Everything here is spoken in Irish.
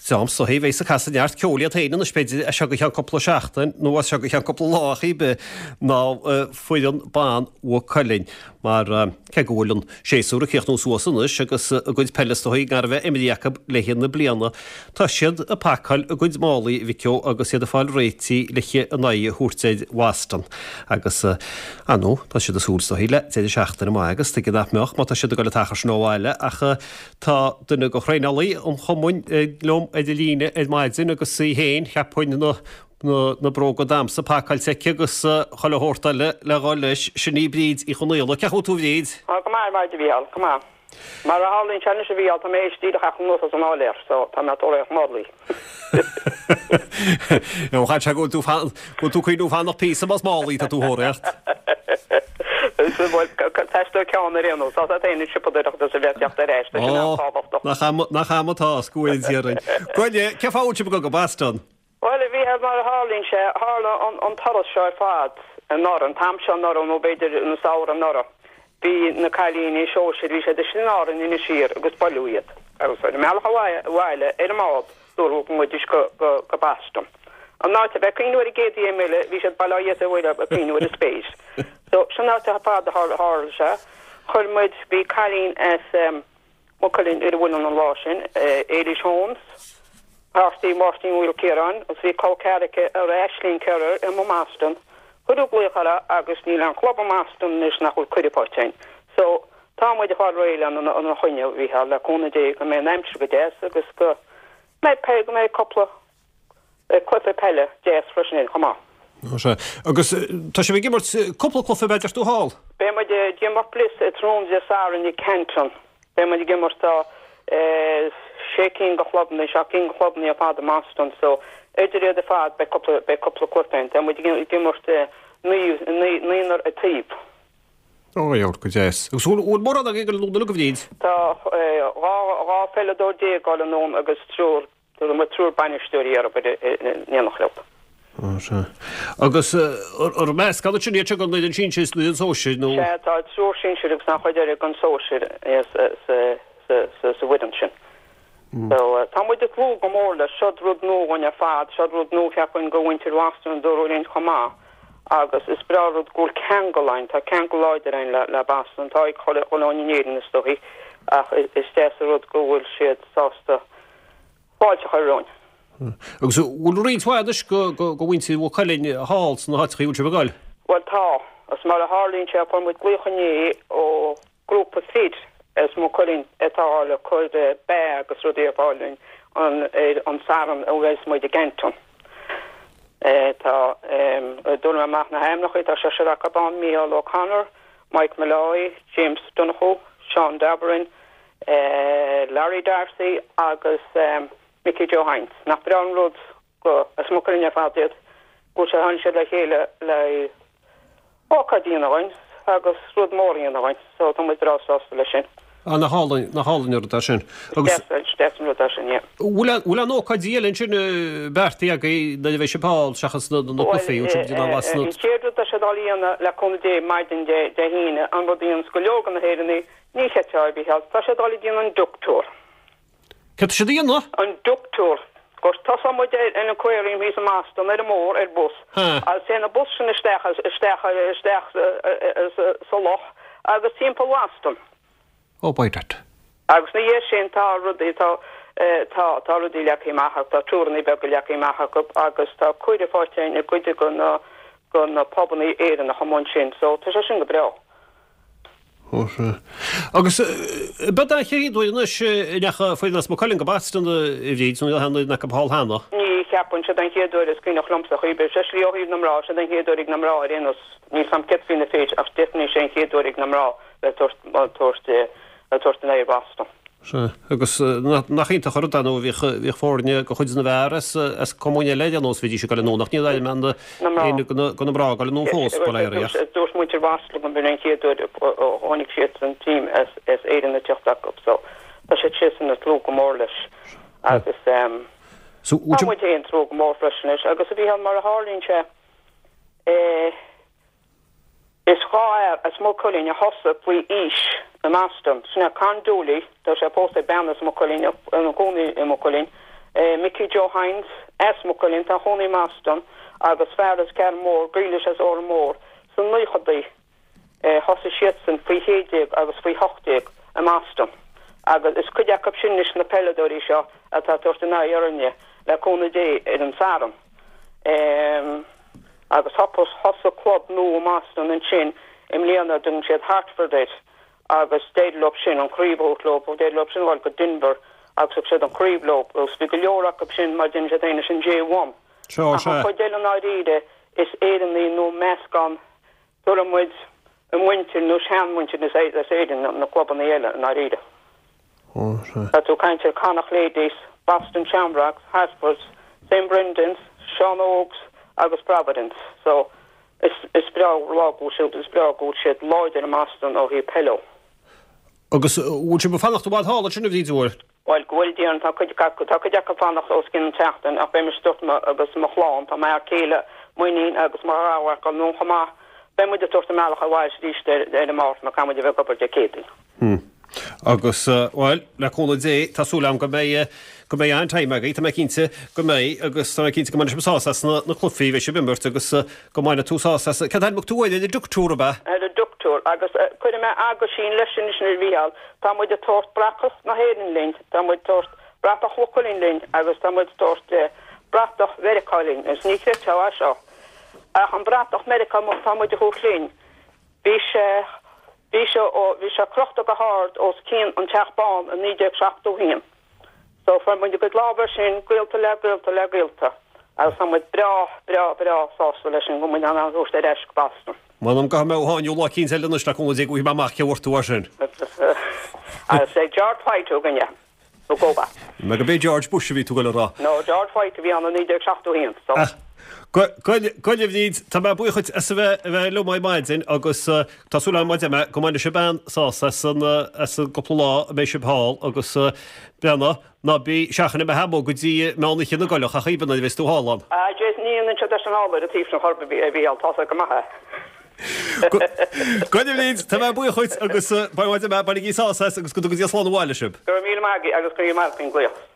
Dream is dóichí a bheas ag casadh neart ceoil iad féin anois b'fhéidir as seo go ceann cúpla seachtain nó as seo go ceann cúpla lá ar chaoi ar bith ná foireann ban Mhaigh Cuilinn mar cé go bhfuil an séasúr ag críochnú suas anois agus a gcuid peile is dóichí gar a bheith imithe acu le haghaidh na bliana, tá siad ag pacáil a gcuid málaí, a Mhic Ó, agus iad ag fáil réitithe le a n-aghaidh a thabhairt ar Bhoston. Agus, ar ndóigh, tá siad ag súil is dóichí le deireadh seachtaine maith agus tuige nach mbeadh má tá siad ag dul an t-achar sin ó bhaile ach tá duine de thraenálaithe an chumainn liom ar an líne ar maidin agus í féin, cheapfainn, na na bróga damhsa pacáilte aici agus chuile shórt eile le dhul leis. Sin í Bríd Uí Chonaola. Cén chaoi a bhfuil tú a Bhríd? Tá go maith ar maidin a Mhícheáil, go maith. Mar a tharlaíonn sé anois a Mhícheáil, tá mé théis díreach theacht anuas as an áiléar so tá mé ag tóraíocht málaí. Ó chaill sé go bhfuil tú go bhfuil tú cuimhniú fanacht píosa más málaí atá tú a thóraíocht. Bhuel, teastóidh ceann ar aon nós. Tá tú féin ag siopadóireacht agus a bheith ag teacht ar ais, tá sin an-tábhachtach. Nach am atá, is go bhfóire Dia orainn. Gabh i leith, cén fáth a bhfuil sibh ag dul go Boston? Bhuel, a Mhícheáil, mar a tharlaíonn sé, tharla an turas seo ar fad anuraidh, an t-am seo anuraidh nó b'fhéidir an samhradh anuraidh. Bhí na cailíní sóisir, bhí siad istigh in Árainn, Inis Oírr agus buaileadh iad. Agus ar a mbealach abhaile ar an mbád, dúradh go ngabhaidís go Boston. An áit a bheith ag cuimhniú ar an gcéad oíche eile, bhí siad bail ó Dhia is ar Mhuire ag cuimhniú ar an spéir. So, sin áit ar fad a tharla sé. Chuir muid, bhí cailín as, Maigh Cuilinn ar an bhfoireann an lá sin, Éilís Holmes, páirtí Mháirtín Mhaoilchiaráin, agus bhí col ceathar aici ar Aisling Kerr i mBoston. Cuireadh glaoch uirthi agus níl aon chlub i mBoston anois nach bhfuil cuireadh faighte againn. So, tá muid ag fáil réidh lena choinne, a Mhícheáil, le cúnamh Dé go mbeidh an aimsir go deas agus go mbeidh, go mbeidh cúpla cluiche peile deas freisin ann chomh maith. Ó sea. Agus tá sibh ag imirt cúpla cluiche b'fhéidir tú thall? Beidh muid ag imirt Bliss tráthnóna Dé Sathairn i Canton. Beidh muid ag imirt tá sé cinn de chlubanna, seacht gcinn de chlubanna ar fad i mBoston so idir iad ar fad beidh cúpla, beidh cúpla cluiche ann. Tá muid ag imirt naonúr an taobh. Ó a go deas. Agus bhfuil mórán agaibh ag dul anonn uilig a Bhríd? Tá 12 pheileadóir ag dul anonn agus triúr Tugann muid triúr bainisteoirí orthu in éineacht leo. Ó, sea. Agus ar meascán ansin iad seo den fhoireann sinsir is den fhoireann sóisir, nó? Sea, tá triúr sinsir agus an chuid eile den sóisir sa bhfoireann sin. So, tá muid ag tnúth go mór leis. Seod rud nua dhúinn ar fad. Seod rud nua, cheapfainn, do mhuintir Bhoston, dúradh linn chomh maith. Agus is breá an rud go bhfuil ceangal ann, tá ceangal láidir ann le Boston. Tá ag chuile dhuine in Éirinn, is dóichí, ach is deas an rud go bhfuil siad sásta fáilte a chur romhainn. Agus an bhfuil roinnt mhaith anois de mhuintir Mhaigh Cuilinn thall sna háiteacha a bhfuil sibh ag dul? Bhuel tá. Agus mar a tharlaíonn sé fuair muid glaoch inné ó ghrúpa fir as Maigh Cuilinn atá le cur beatha agus rudaí ar fáil dúinn ar an Satharn a bheas muid i gCanton. Tá, dúirt mé amach na hainmneacha, tá seisear acu ann, Mícheál O'Connor, Mike Molloy, James Donoghue, Seán Davoren, Larry D'Arcy agus Mickey Joe Hynes. Nach breá an rud go, as Maigh Cuilinn ar fad iad, go bhfuil tháinig siad le chéile le ócáid a dhéanamh dhúinn agus rud mór a dhéanamh dhúinn so tá muid breá sásta leis sin. Ah, nach álainn, nach álainn an rud é sin. Agus. Is deas an rud é sin, yeah. Bhfuil, bhfuil aon ócáidí eile ansin beartaithe agaibh nuair a bheidh sibh thall seachas na, na cluichí, bhfuil sibh ag déanamh as na. An chéad rud tá siad á dhéanamh le cúnamh Dé maidin Dé, Dé hAoine, an rud a dhéananns go leor de na hÉireannaigh, Ní chreidfeá a Mhícheáil. Tá siad ag dul ag déanamh an duck tour. Céard tá siad a dhéanamh? An duck tour. Gur tosóidh muid ar an aquarium thíos i mBoston ar an mbóthar ar bus agus téann an bus sin isteach isteach isteach sa loch agus timpeall Boston. Oh by dad. Agus ina dhiaidh sin tá rudaí tá tá tá rudaí leagtha amach acu tá túranna beaga leagtha amach acu agus tá cuireadh faighte againn i gcuid de na de na pubannaí Éireannacha amuigh ansin so tá sé sin go breá. Ó sea. Agus ab é an chéad uair anois a ndeachaigh foireann as Maigh Cuilinn go Boston a Bhríd, nó an bhfuil aon fhoireann acu thall cheana? Ní cheapaim, siod an chéad uair is cuimhneach liomsa chaoi ar bith. Especially ó thaobh na mná, siod an chéad uair ag na mná ar aon nós. Níl 's a'm céard faoi na fir ach definitely sé an chéad uair ag na mná bheith ag tabhairt ag tabhairt a n-aghaidh ar Boston. Sea, agus nach iontach an rud é nó bhíodh, bhíodh foirne de chuid na bhfear as, as cumainn eile ar aon nós, bhídís ag dul anonn ach níl aon mbean éinne de na, de na mná ag dul anonn fós, bail ó Dhia ach. Dúirt muintir Bhoston go mb'in an chéad uair a chonaic siad an team as, as Éirinn ag teacht acu so tá siad siadsan ag tnúth go mór leis agus tá muid féin ag tnúth go mór freisin leis agus a Mhícheáil mar a tharlaíonn sé eh, Is 2 fhear as Maigh Cuilinn a thosaigh faoi aois i mBoston. Sin é Con Dooley, tá sé pósta ar bean as Maigh Cuilinn, ina cónaí i Maigh Cuilinn. Mickey Joe Hynes, as Maigh Cuilinn, tá ina chónaí i mBoston, agus fear as Carn Mór, Grealish as Órán Mór. Sna naochadaí thosaigh siadsan faoi 16 agus faoi 18 i mBoston agus is cuid acu sin anois na peileadóirí seo atá ag tabhairt a n-aghaidh orainne le cúnamh Dé ar an Satharn. Agus thosaigh club nua i mBoston ansin i mbliana a dtugann siad Hartford air agus d'éirigh leo sin an chraobh a thabhairt leo, d'éirigh leo sin a dhul go Denver agus thug siad an chraobh leo agus bhí go leor acu sin mar deireann siad féin leis an J1. Ach an chuid eile i ndáiríre is Éireannaigh nó meascán tabharfaidh muid a muintir nó seanmhuintir as Éirinn na clubanna eile i ndáiríre. Tá tú ag caint ar Connacht Ladies, Boston Shamrocks, Hartfords, St Brendan's, Sean Ógs agus Providence. So is is breá lá go bhfuil siad is breá go bhfuil siad láidir i mBoston ó thaobh peile. Agus bhfuil sibh ag fanacht i bhfad thall ansin a Bhríd mhór? Bhuel, go bhfuil Déan, tá cuid acu, tá cuid acu ag fanacht os cionn tseachtain ach beidh mise ag tabhairt agus mo chlann, tá m'fhear céile, m'iníon agus mo gharmhac ag dul anonn chomh maith. Beidh muid ag tabhairt an mbealach abhaile arís ar an Máirt mar caithfidh muid a bheith ag obair Dé Céadaoin. Hm. Agus, bhuel, le cúnamh Dé, tá súil agam go mbeidh, go mbeidh an-time agaibh, tá mé cinnte go mbeidh agus tá mé cinnte go mbainfidh sibh sásamh as na, na cluichí a bheidh sibh ag imirt agus go mbainfidh tú sásamh as, cad ainm tú air, ar an Duck Tour, ab ea? Ar an Duck Tour agus cuirfidh mé aguisín leis sin anois a Mhícheáil, Tá muid ag tabhairt bratach na hÉireann linn, tá muid ag tabhairt bratach Mhaigh Cuilinn linn agus tá muid ag tabhairt bratach Mheiriceá linn. Agus ní chreidfeá é seo, ach an bratach Meiriceá atá muid a thabhairt linn, bhí sé, bhí sé, bhí sé crochta go hard os cionn an Teach Bán i 1971. So fuair muid ár gcuid lámh air sin, gaolta le gaolta le gaolta, agus tá muid breá, breá, breá sásta leis sin go bhfuil muid in ann é a thabhairt ar ais go Boston. M'anam go mbeidh mé á sháinniú lá eicínt eile anois le cúnamh Dé go bhfaighidh mé amach cé bhfuair tú é sin. Agus é George White a thug é, nó go ba. Nó go b'é George Bush a bhí tú ag dul a rá. No, George White a bhí ann i 1971, so. Go a Bhríd, tá mé buíoch dhuit as a bheith a bheith liom ar maidin agus tá súil agam maidir go mbainfidh sibh an-sásamh as an as an gcúpla lá a mbeidh sibh thall agus breathnaigh, ná bí seachain a bheith amuigh go dtí meán oíche na gcoileach ach aoibhinn nuair a bheas tú thall ann. Ah Jason ní dhéanann siad leis an ábhar a taobh sin chor ar bith a Mhícheáil, tá sé go maith é. Go a Bhríd, tá mé buíoch dhuit agus bainigí sásamh as agus go dtuga Dia slán abhaile sibh. Go raibh míle maith agat agus go raibh maith agat faoin glaoch.